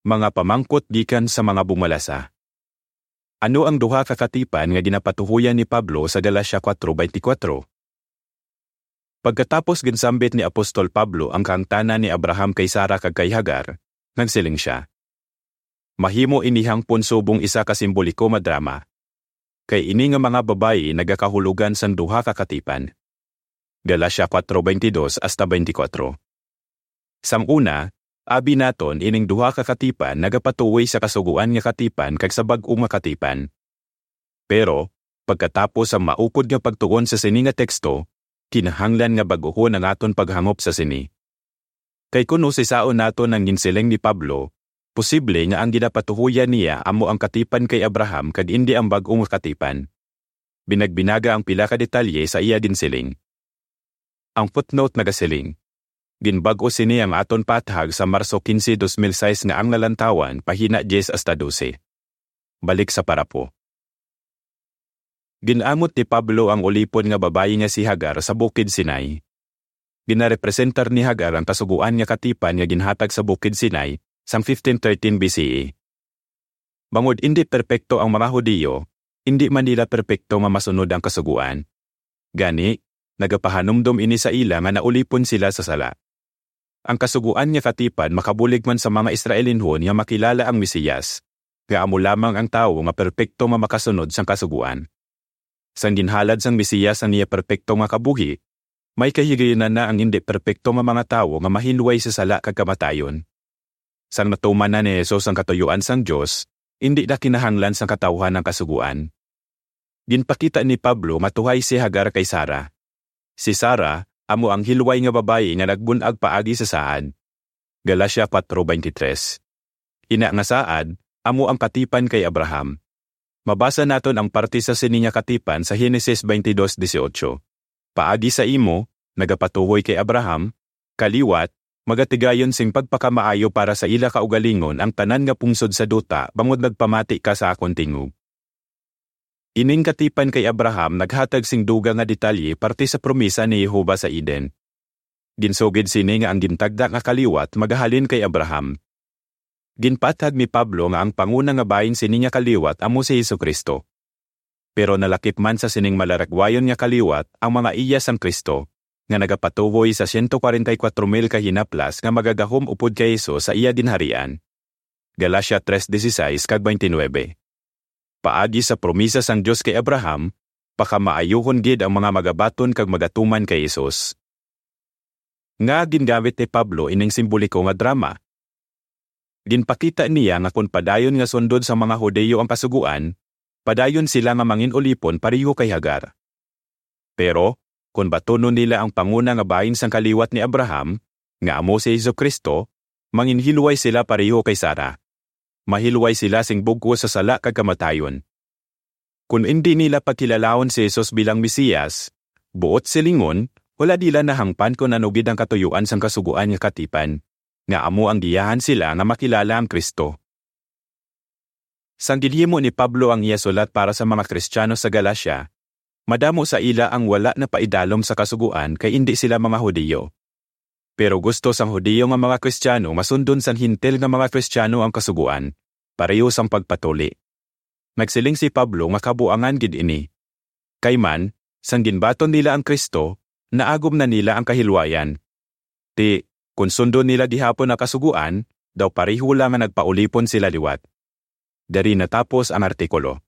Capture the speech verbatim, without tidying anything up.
Mga pamangkot gikan sa mga bumalasa. Ano ang duha ka katipan nga ginapatuhoyan ni Pablo sa Galacia four twenty-four? Pagkatapos ginsambit ni Apostol Pablo ang kahangtanan ni Abraham kay Sara kag kay Hagar, nagsiling sia, "Mahimo ini hangpon subong isa ka simboliko nga drama, kay ini nga mga babayi nagakahulogan sang duha ka katipan." Galacia four twenty-dos hasta twenty-four. Sang una, abi naton ining duha ka katipan nagapatuoy sa Kasugoan nga Katipan kag sa Bag-o nga Katipan. Pero, pagkatapos sang maupod nga pagtuon sa sini nga teksto, kinahanglan nga bag-ohon ang aton paghangop sa sini. Kay kon usisaon naton ang ginsiling ni Pablo, posible nga ang ginapatuhoyan niya amo ang katipan kay Abraham kag indi ang bag-o nga katipan. Binagbinaga ang pila ka detalye sa iya ginsiling. Ang footnote nagasiling, "Ginbag-o sini ang aton paathag sa Marso quince, dos mil sais nga ang lalantawan, pahina diyes hasta dose." Balik sa parapo. Ginamot ni Pablo ang ulipon nga babayi nga si Hagar sa Bukid Sinai. Ginarepresentar ni Hagar ang Kasugoan nga Katipan nga ginhatag sa Bukid Sinai sang fifteen thirteen B C E. Bangod indi perpekto ang mga Hudiyo, indi man nila perpekto nga masunod ang Kasugoan. Gani, nagapahanumdom ini sa ila nga naulipon sila sa sala. Ang Kasugoan nga Katipan makabulig man sa mga Israelinhon nga makilala ang Mesiyas, nga amo lamang ang tawo nga perpekto nga makasunod sang Kasugoan. Sang ginhalad sang Mesiyas ang iya perpekto nga kabuhi, may kahigayunan na ang indi perpekto nga mga tawo nga mahilway sa sala kag kamatayon. Sang natuman na ni Jesus ang katuyuan sang Dios, indi na kinahanglan sang katawuhan ang Kasugoan. Ginpakita ni Pablo matuhay si Hagar kay Sara. Si Sara amo ang hilway nga babayi nga nagbun-ag paagi sa saad. Galacia four twenty-three. Ina nga saad amo ang katipan kay Abraham. Mabasa naton ang parte sa sini nga katipan sa Henesis twenty-dos dieciocho. "Paagi sa imo, nagapatuhoy kay Abraham, kaliwat, magatigayon sing pagpakamaayo para sa ila kaugalingon ang tanan nga pungsod sa duta, bangod nagpamati ka sa akon tingog." Ining katipan kay Abraham naghatag sing dugang nga detalye parte sa promesa ni Jehovah sa Eden. Ginsugid sini nga ang gintagda nga kaliwat magahalin kay Abraham. Ginpaathag ni Pablo nga ang panguna nga bahin sini nga kaliwat amo si Jesu-Cristo. Pero nalakip man sa sining malaragwayon nga kaliwat ang mga iya sang Cristo, nga nagapatuhoy sa siyento kwarenta y kuwatro mil ka hinaplas nga magagahom upod kay Jesus sa iya ginharian. Galacia tres dieciséis kag veintinueve. Paagi sa promesa sang Dios kay Abraham, pakamaayuhon gid ang mga magabaton kag magatuman kay Jesus. Nga gingamit ni Pablo ining simboliko nga drama? Ginpakita niya nga kon padayon nga sundon sang mga Hudiyo ang Kasugoan, padayon sila nga mangin-ulipon pareho kay Hagar. Pero, kon batunon nila ang panguna nga bahin sang kaliwat ni Abraham, nga amo si Jesu-Cristo, manginhilway sila pareho kay Sara. Mahilway sila sing bug-os sa sala kag kamatayon. Kon indi nila pagkilalaon si Jesus bilang Mesiyas, buot silingon, wala nila nahangpan kon ano gid ang katuyuan sang Kasugoan nga Katipan, nga amo ang giyahan sila nga makilala ang Cristo. Sang ginhimo ni Pablo ang iya sulat para sa mga Kristiyano sa Galacia, madamo sa ila ang wala napaidalom sa Kasugoan kay indi sila mga Hudiyo. Pero gusto sang Hudiyo nga mga Kristiyano masundon sang Hentil nga mga Kristiyano ang Kasugoan, pareho sang pagpatuli. Nagsiling si Pablo nga kabuangan gid ini. Kay man, sang ginbaton nila ang Cristo, naagom na nila ang kahilwayan. Ti, kon sundon nila gihapon ang Kasugoan, daw pareho lang nga nagpaulipon sila liwat. Diri natapos ang artikulo.